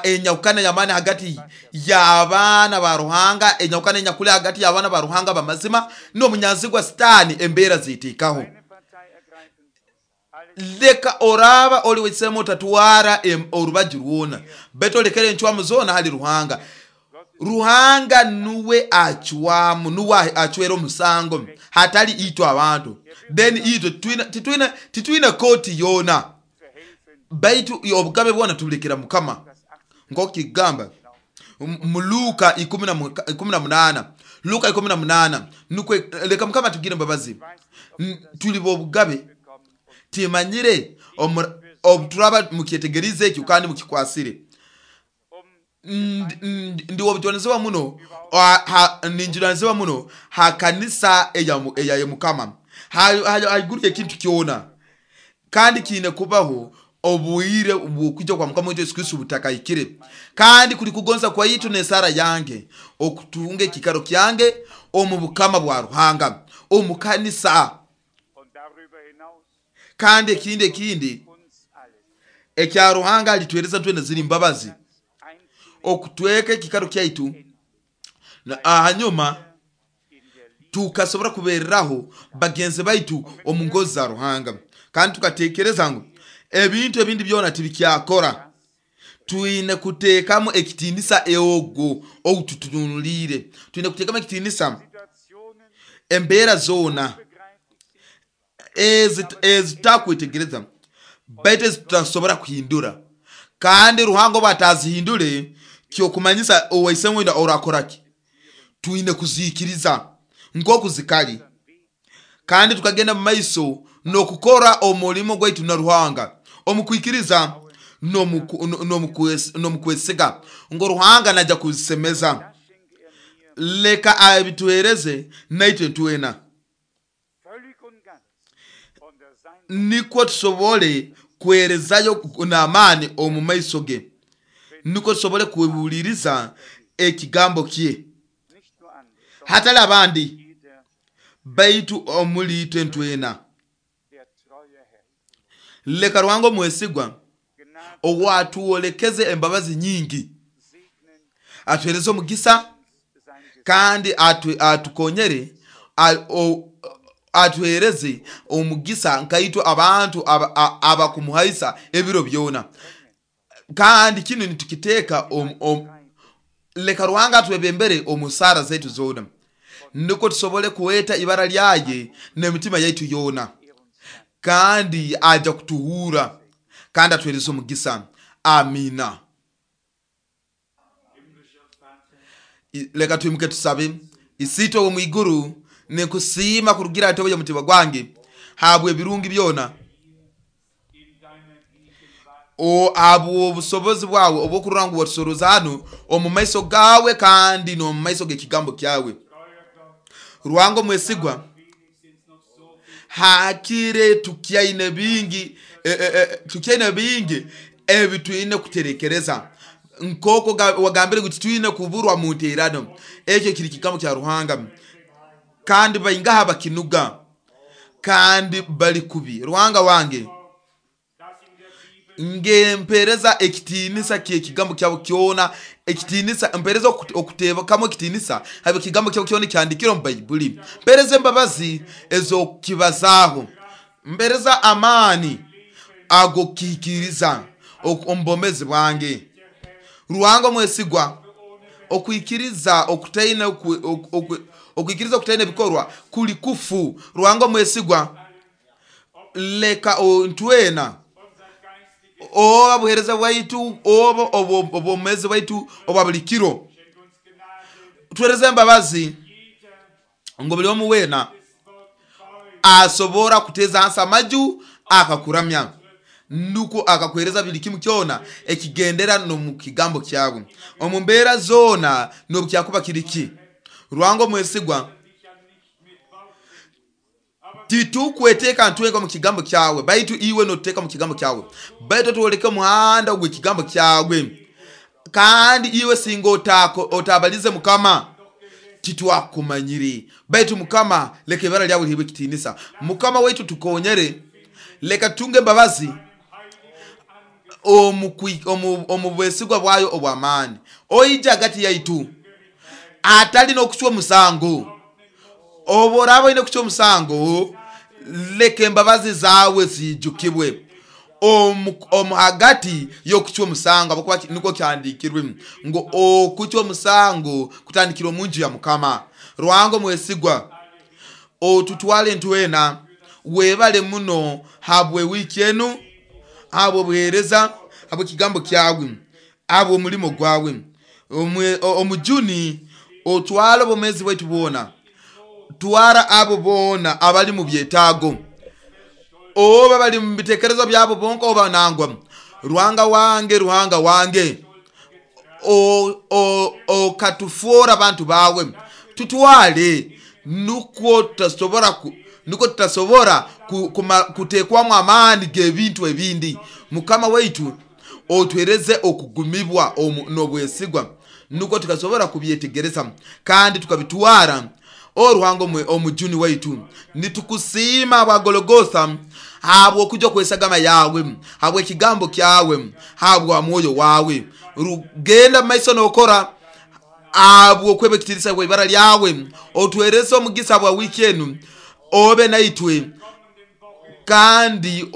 Enyawukana y'amaani hagati y'abaana ba Ruhanga, enyawukana enyakuli hagati y'abaana ba Ruhanga bamazima n'omunyanzigwa Sitani, embeera ziteekaho. Leka oraba oli wesemo otatwara orubaju rwona, baitu olekere encwamu zona hali Ruhanga. Ruhanga nuwe acwamu, nuwe acwera omusango, hatali itwe abantu. Then itwe titwine titwine koti yona, baitu obugabe bwona tubulekera Mukama. Nk'okigamba mu Luka ikumi na munana, Luka ikumi na munana, nukwe leka Mukama tugire embabazi. Tuli bobugabe, timanyire obuturaba mukyetegerize ekyo kandi mukikwasire. Ndi obujunaanizibwa muno, ninjunaanizibwa muno ha kanisa eya Mukama, haiguru ekintu kyona, kandi kiine kubaho obwire bw'okwija kwa Mukama waitu Yesu Kristo butakahikire. Kandi kuli kugonza kwaitu n'esara yange okutunga ekikaro kyange omu bukama bwa Ruhanga omu kanisa. Kandi ekindi ekindi ekya Ruhanga alitwereza twena ziri mbabazi okutweka ekikaro kyaitu, hanyuma tukasobora kubereraho bagenzi baitu omu ngozi za Ruhanga. Kandi tukatekereza ngu ebintu ebindi byona tibikyakora, twine kuteekamu ekitinisa eogo oututunulire, twine kuteekamu ekitinisa embeera zona ezitakwetegereza, baitu ezitutasobora kuhindura. Kandi Ruhanga obu atazihindure, kyokumanyisa owaisemu wenda orakoraki, twine kuzikiriza nk'oku zikali, kandi tukagenda mu maiso n'okukora omulimo gwaitu na Ruhanga omu kwikiriza n'omu kwesiga ngo Ruhanga najja kuzisemeza. Leka abituhereze naitwe twena, nikwo tusobole kwerezayo n'amaani omu maiso ge, nikwo tusobole kuhuliriza ekigambo kye, hatali abandi baitu omuli itwe ntwena. Leka Ruhanga omwesigwa owatuolekeze embabazi nyingi atuhereze omugisa, kandi atukonyere, atuhereze omugisa nkaitwe abantu abakumuhaisa ebiro byona. Kandi kinu nitukiteeka, leka Ruhanga atwebembere omu sara zaitu zona, nukwo tusobole kuweta ibara lyaye n'emitima yaitu yona, kandi aja kutuhura kandi atuhereze omugisa. Amina. Leka twimuke tusabe. Isitwe wo mwiguru, nikusiima kurugira atobo y'omutima gwange habwe ebirungi byona, o abwo obusobozi bwawe obwokurora ngu watusoroza hano omu maiso gawe kandi n'omu maiso g'ekigambo kyawe. Ruhanga omwesigwa, hakire tukyaine bingi e, e, e, tukyaine bingi ebi twine kuterekereza, nk'oko wagambire ngu titwine kuburwa mu nteerano. Ekyo kiri kigambo kya Ruhanga, kandi baingaha bakinuga kandi bali kubi. Ruhanga wange, ngempereza ekitinisa ky'ekigambo kyabo kyona, ekitinisa mpereza okutebakamu ekitinisa habe ekigambo kyabo kyona kyandikire omu Baibuli. Mpereza embabazi ez'okukibazaaho, mpereza amaani ag'okukihikiriza omu bwomezi bwange. Ruhanga omwesigwa, okwikiriza okutaine Okwikiriza okutaine ebikorwa kuli kufu. Ruhanga omwesigwa, leka ntwena oba buhereza bwaitu oba obwomezi bwaitu obwa buli kiro, tuhereze embabazi ngu buli omu weena asobora kuteza hansi amaju akakuramya, nuko akakuhereza buli kimu kyona ekigendera n'omu kigambo kyawe omu mbeera zoona n'obukyakuba kiri ki. Ruhanga omwesigwa, titukweteeka ntwenka omu kigambo kyawe, baitu iwe notuteeka mu kigambo kyawe, baitu twoleke omuhanda ogw'ekigambo kyawe. Kandi iwe singa otako otabalize Mukama, titwakumanyire. Baitu Mukama, leka ibara lyawe lihebwe ekitiinisa. Mukama waitu, tukonyere, leka tutunge embabazi omu omu bwesigwa bwayo obw'amaani. Oija hagati yaitu atali n'okucwa omusango. Obu oraaba oine kucwa omusango, leka embabazi zawe zijukibwe omu hagati y'okucwa omusango, habwokuba nukwo kyandiikirwe ngu okucwa omusango kutandikira omu nju ya Mukama. Ruhanga omwesigwa, otutwale ntwena, webale muno habwe wiiki enu, habwe obuheereza, habwe ekigambo kyawe, habwe omulimo gwawe. Omujuni, otwale obwomezi bwaitu bwona, twara abo boona abali mu byetaago, oba bali mu bitekerezo byabo bonka oba nangwa. Ruhanga wange, Ruhanga wange, okatufuura abantu bawe, tutwale nukwo tutasobora nukwo tutasobora kutekwamu amaani g'ebintu ebindi. Mukama waitu, otuhereze okugumibwa n'obwesigwa, nukwo tukasobora kubyetegereza kandi tukabitwara. O Ruhanga omujuni waitu, nitukusiima bwa Gologotha habw'okuja kwesagama yawe, habw'ekigambo kyawe, habwa mwoyo wawe. Rugenda maiso n'okora habw'okweba ekitiinisa bwa ibara lyawe. Otuhereze omugisa bwa wiiki enu, obe naitwe, kandi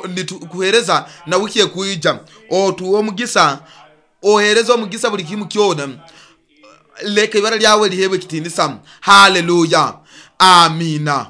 nitukuhereza na wiki ekwija. Otuwe omugisa, ohereze omugisa buli kimu kyona, leka ibara lyawe lihebwe ekitiinisa. Haleluya, amina.